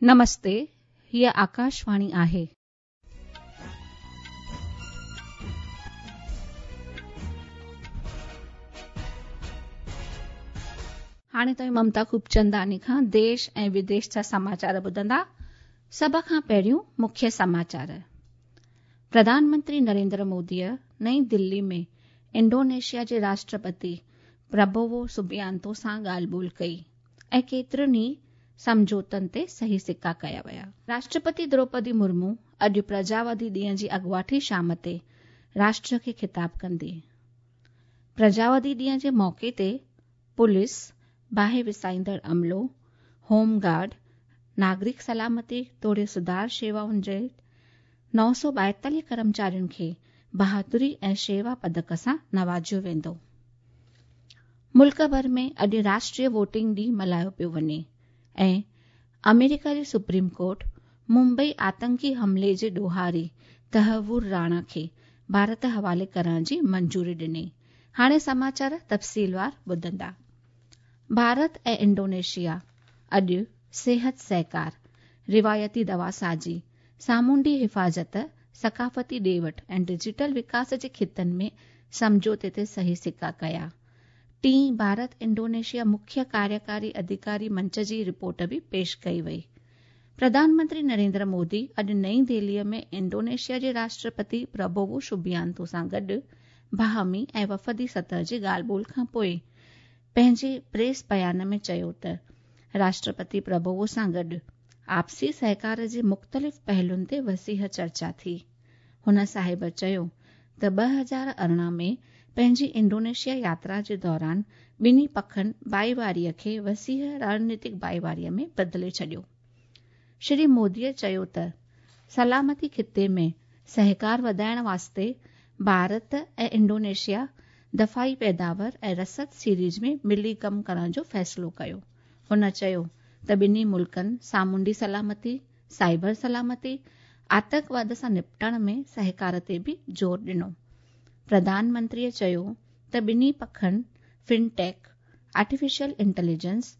نمستي، هيء آڪاشواڻي آهي. هاڻي توهين ممتا خوبچنداڻي کان ديش ۽ وديش جا سماچار ٻڌندا. سڀ کان پهريون مکيه سماچار. پرڌان منتري نريندر موديء نئين دلي ۾ انڊونيشيا جي راشٽرپتي پرابوو سوبيانتو سان ڳالهه ٻولهه ڪئي ۽ ڪيترن ئي سمجهوتن تي صحيح سڪا ڪيا ويا. راشٽرپتي دروپدي مرمو اڄ پرجاوادي ڏينهن جي اڳواٽي شام تي راشٽر کي خطاب ڪندي. پرجاوادي ڏينهن جي موقعي تي پوليس، باهه وسائيندڙ عملو، هوم گارڊ، ناگرڪ سلامتي توڙي سڌار شيوائن جي 942 ڪرمچارين کي بهادري ۽ شيوا پدڪ سان نوازيو ويندو. ملڪ ڀر ۾ اڄ راشٽريه ووٽنگ ڏينهن ملهايو پيو وڃي ۽ آمريڪا جي سپريم ڪورٽ ممبئي آتنڪي حملي جي ڏوهاري تهور راڻا کي ڀارت حوالي ڪرڻ جي منظوري ڏني. هاڻي سماچار تفصيلوار ٻڌندا. ڀارت ۽ انڊونيشيا اڄ صحت سهڪار، روايتي دواسازي، سامونڊي حفاظت، ثقافتي ڏي وٺ ۽ ڊجيٽل وڪاس جي خطن ۾ سمجهوتي تي صحيح سڪا ڪيا. ٽين ڀارت انڊونيشيا مکيه ڪاريڪاري اڌڪاري منچ جي رپورٽ به پيش ڪئي وئي. پرڌان منتري نريندر مودي اڄ نئين دهليء ۾ انڊونيشيا جي راشٽرپتي پرابوو سوبيانتو سان گڏ باهمي ۽ وفدي سطح جي ڳالهه ٻولهه کان پوء پنهنجي پريس بيان ۾ چيو ته راشٽرپتي پرابوو سان گڏ آپسي سهڪار جي مختلف پهلوئن تي وسيع چرچا ٿي. هن صاحب چيو ته 2018 ۾ پنهنجي انڊونيشيا ياترا جي دوران ٻنهي پکن ڀائيواريء کي وسيع رڻنيتڪ ڀائيواريء ۾ بدلي ڇڏيو. شري موديء چيو ته سلامتي خطي ۾ سهڪار وڌائڻ واسطي ڀارت ۽ انڊونيشيا دفاعي پيداور ۽ رسد سيريز ۾ ملي ڪم ڪرڻ جو فيصلو ڪيو. هن چيو ته ٻنهي ملڪن سامونڊي سلامتي، سائبر سلامتي، آتنڪواد سان نپٽڻ ۾ سهڪار تي به زور ڏنو. پرڌان منتريء چيو ته ٻنهي پکن fintech, artificial intelligence,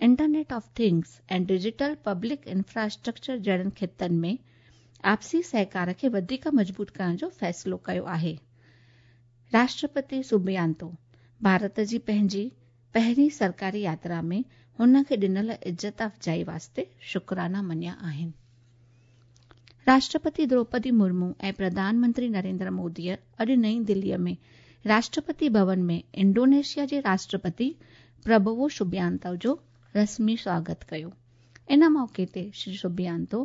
internet of things ۽ digital public infrastructure جهڙن خطن ۾ آپسي سهڪار کي وڌيڪ مضبوط ڪرڻ جو فيصلو ڪيو آهي. راشٽرپتي سوبيانتو ڀارت جي پنهنجي پهرين سرڪاري ياترا ۾ هن کي ڏنل عزت افزائي واسطي شڪرانا مڃيا آهن. راشٽرپتي دروپدي مرمو ۽ پرڌان منتري نريندر موديء اڄ نئين دليء ۾ راشٽرپتي ڀون ۾ انڊونيشيا جي راشٽرپتي پرابوو سوبيانتو جو رسمي سواگت ڪيو. ان موقعي تي شري سوبيانتو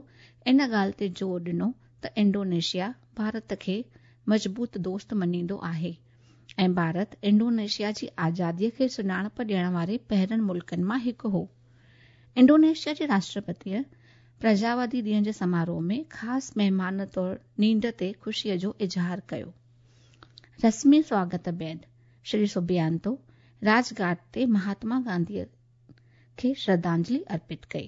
ان ڳالهه تي زور ڏنو ته انڊونيشيا ڀارت کي مضبوط دوست مڃيندو آهي. ۽ ڀارت انڊونيشيا جي آزاديء کي سڃاڻپ ڏيڻ واري پهرين ملڪن مان هڪ هو. انڊونيشيا جي راشٽرپتيء پرجاوادي ڏينهن جي سماروهه ۾ خاص مهمان طور نينڍ تي خوشيء جو اظهار ڪيو. رسمي سواگت بعد شري سوبيانتو راج گهاٽ تي مهاتما گانڌيء کي شرڌانجلي ارپت ڪئي.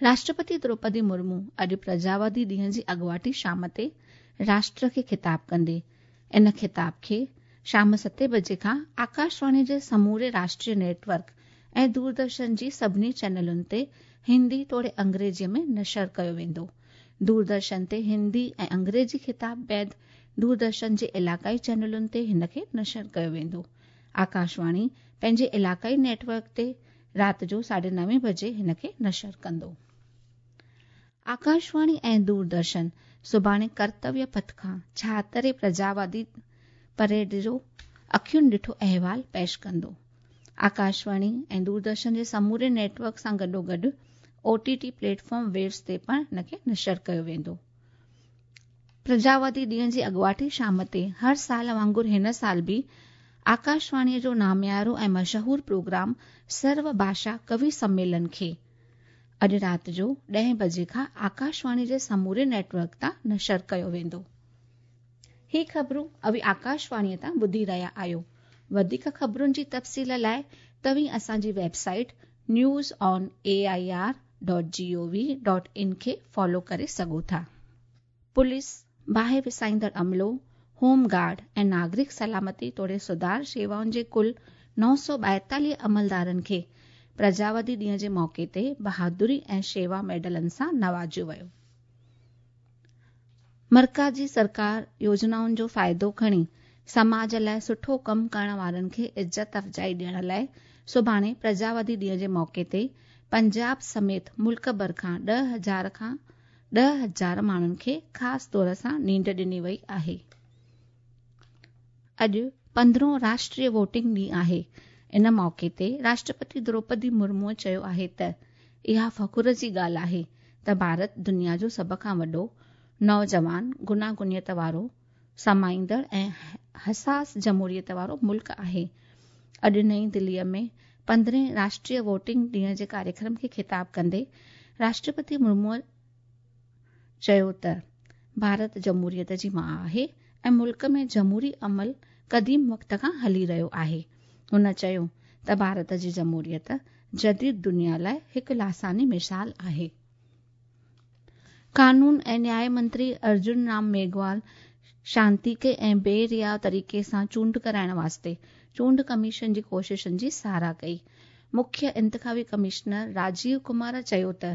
راشٽرپتي دروپدي مرمو اڄ پرجاوادي ڏينهن جي اڳواٽي شام تي راشٽر کي خطاب ڪندي. ان خطاب کي شام ستين بجي کان آڪاشواڻي جي سموري راشٽريه نيٽ ورڪ ۽ دوردرشن جي سڀني چينلن تي هندي توڙي انگريزيء ۾ نشر ڪيو ويندو. دوردرشن تي هندي ۽ انگريزي خطاب بعد دوردرشن جي علائقائي چينلن تي هن کي نشر ڪيو ويندو. آڪاشواڻي پنهنجي علائقائي نيٽ ورڪ تي رات جو ساڍي نوين بجي هن کي نشر ڪندو. آڪاشواڻي ۽ دوردرشن سڀاڻي ڪرتويه پٿ کان ڇاهترين پرجاوادي پريڊ جو اکين ڏٺو احوال پيش ڪندو. آڪاشواڻي ۽ دوردرشن جي سموري نيٽ ورڪ سان گڏوگڏ O T T platform waves تي پڻ هن کي نشر ڪيو ويندو. پرجاوادي ڏينهن جي اڳواٽي شام تي هر سال وانگر هن سال به آڪاشواڻيء جو ناميارو ۽ مشهور پروگرام سرو ڀاشا ڪوي سميلن کي اڄ رات جو ڏهين بجي کان آڪاشواڻي جي سموري نيٽ ورڪ تان نشر ڪيو ويندو. هي خبرون اوهين آڪاشواڻيء تان ٻڌي رهيا آهيو. وڌيڪ خبرن جي تفصيل لاء توهين اسان جي website news on A I R dot G O V dot in کي فالو ڪري سگهو ٿا. پوليس، باهه وسائيندڙ عملو، هوم گارڊ ۽ ناگرڪ سلامتي توڙي سڌار شيوائن جي ڪل 942 عملدارن کي پرجاوادي ڏينهن جي موقعي تي بهادري ۽ شيوا ميڊلن سان نوازيو ويو. مرڪزي سرڪار يوجنائن جو فائدو کڻي سماج لاءِ سٺو ڪم ڪرڻ وارن کي عزت افزائي ڏيڻ لاءِ سڀاڻي پرجاوادي ڏينهن جي موقعي تي پنجاب سميت ملڪ ڀر کان 10,000 ماڻهن کي خاص طور سان نينڍ ڏني وئي آهي. اڄ 15هون راشٽريه ووٽنگ ڏينهن آهي. ان موقعي تي راشٽرپتي دروپدي مرموءَ چيو آهي ته اها فخر جي ڳالهه آهي ته ڀارت دنيا جو سڀ کان وڏو، نوجوان، گوناگونيت وارو، سمائيندڙ ۽ حساس جمهوريت وارو ملڪ آهي. اڄ نئين دليءَ ۾ 15هين راشٽريه ووٽنگ ڏينهن جي ڪاريڪرم کي خطاب ڪندي راشٽرپتي مرموءَ چيو ته ڀارت جمهوريت جي ماءُ آهي ۽ ملڪ ۾ جمهوري عمل قديم وقت کان هلي رهيو آهي. هن چيو ته ڀارت جي جمهوريت جديد دنيا لاءِ هڪ لاثاني مثال آهي. قانون ۽ نياءِ منتري ارجن رام ميگهوال شانتيڪي ۽ بي ريا طريقي سان چونڊ ڪرائڻ واسطي چونڊ ڪميشن جي ڪوششن جي ساراهه ڪئي. مکيه انتخابي ڪمشنر راجيو ڪمار چيو ته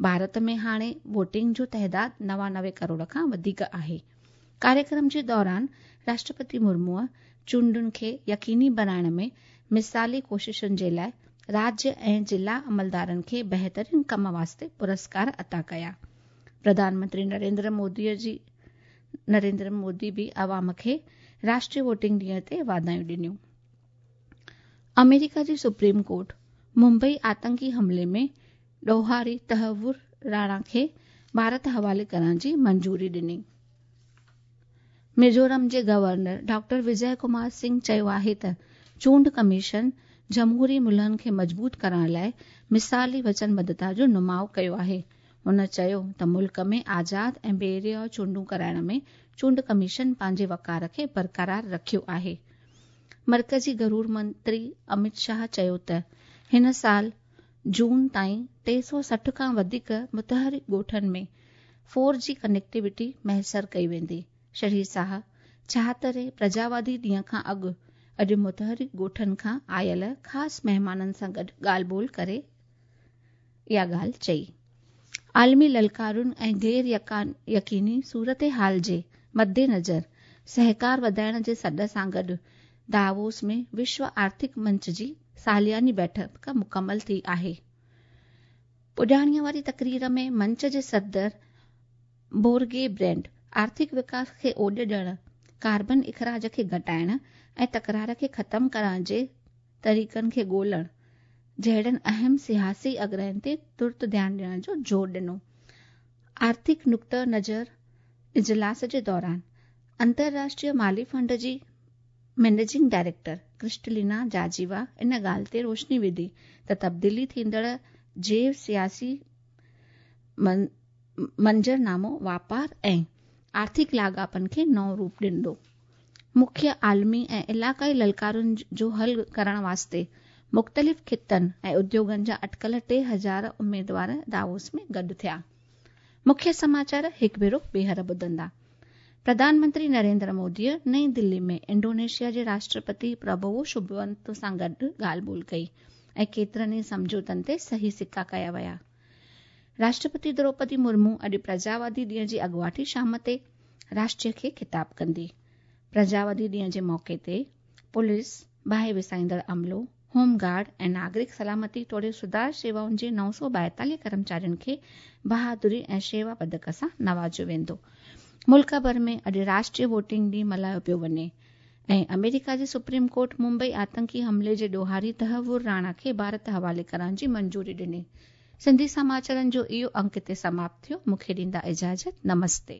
ڀارت ۾ هاڻي ووٽنگ جو تعداد 99 ڪروڙ کان وڌيڪ آهي. ڪاريڪرم جي دوران راشٽرپتي مرموءَ چونڊن کي يقيني بڻائڻ ۾ مثالي ڪوششن جي لاءِ راجيه ۽ ضلع عملدارن کي بهترين ڪم واسطي پرسڪار عطا ڪيا. پرڌان منتري نريندر مودي به عوام کي راشٽريه ووٽنگ ڏينهن تي واڌايون ڏنيون. آمريڪا جي سپريم ڪورٽ ممبئي آتنڪي حملي ۾ ڏوهاري تهور راڻا کي ڀارت حوالي ڪرڻ جي منظوري ڏني. ميزورم جي گورنر ڊاڪٽر وجي ڪمار سنگهه چيو آهي ته چونڊ ڪميشن جمهوري ملهن کي مضبوط ڪرڻ لاءِ مثالي وچنبڌتا جو نماءُ ڪيو آهي. هن چيو ته ملڪ ۾ آزاد ۽ بي ريا چونڊون ڪرائڻ ۾ چونڊ ڪميشن پنهنجي وقار کي برقرار رکيو آهي. مرڪزي گهرو منتري امت شاهه چيو ته هن سال جون تائين 360 کان وڌيڪ متحرڪ ڳوٺن ۾ 4G connectivity ميسر ڪئي ويندي. شري شاهه 76هين پرجاوادي ڏينهن کان اڳ اڄ متحرڪ ڳوٺن کان آيل خاص مهمانن سان گڏ ڳالهه ٻولهه ڪري اها ڳالهه چئي. عالمي للڪارن ۽ غير يقيني صورتحال جي مدنظر سهڪار وڌائڻ جي سڏ سان گڏ داووس ۾ وشو آرٿڪ منچ جي سالياني بيٺڪ مڪمل ٿي آهي. پڄاڻيءَ واري تقرير ۾ منچ جي صدر بورگي برينڊ آرٿڪ وڪاس کي اوڏ ڏيڻ، ڪاربن اخراج کي گهٽائڻ ۽ تڪرار کي ختم ڪرڻ جي طريقن کي ڳولڻ جهڙن اهم سياسي اڳراين تي ترت ڌيان ڏيڻ جو زور ڏنو. آرٿڪ نقطه نظر اجلاس جي دوران انترراشٽريه مالي فنڊ جي مئنيجنگ ڊائريڪٽر ڪرسٽلينا جارجيوا ان ڳالهه تي روشني وڌي ته تبديلي ٿيندڙ جيو سياسي منظرنامو واپار ۽ آرٿڪ لاڳاپن کي نئون روپ ڏيندو. مکيه عالمي ۽ علائقائي للڪارن جو حل ڪرڻ واسطي مختلف خطن ۽ اديوگن جا اٽڪل 3000 اميدوار داووس ۾ گڏ ٿيا. مکيه سماچار هڪ ڀيرو ٻيهر ٻڌندا. پرڌان منتري نريندر موديءَ نئين دلي ۾ انڊونيشيا جي راشٽرپتي پرابوو سوبيانتو سان گڏ ڳالهه ٻولهه ڪئي ۽ ڪيترن ئي سمجهوتن تي صحيح سڪا ڪيا ويا. راشٽرپتي دروپدي مرمو اڄ پرجاوادي ڏينهن جي اڳواٽي شام تي راشٽر کي خطاب ڪندي. پرجاوادي ڏينهن جي موقعي تي پوليس، باهه وسائيندڙ عملو، هوم گارڊ ۽ ناگرڪ سلامتي توڙي سڌار شيوائن جي 942 ڪرمچارين کي بهادري ۽ شيوا پدڪ سان نوازيو ويندو. ملڪ ڀر ۾ اڄ راشٽريه ووٽنگ ڏينهن ملهايو پيو وڃي ۽ آمريڪا جي سپريم ڪورٽ ممبئي آتنڪي حملي جي ڏوهاري تهور راڻا کي ڀارت حوالي ڪرڻ جي منظوري ڏني. سنڌي سماچارن جو اهو انڪ هتي سماپت ٿيو. مون کي ڏيندا اجازت. نمستي.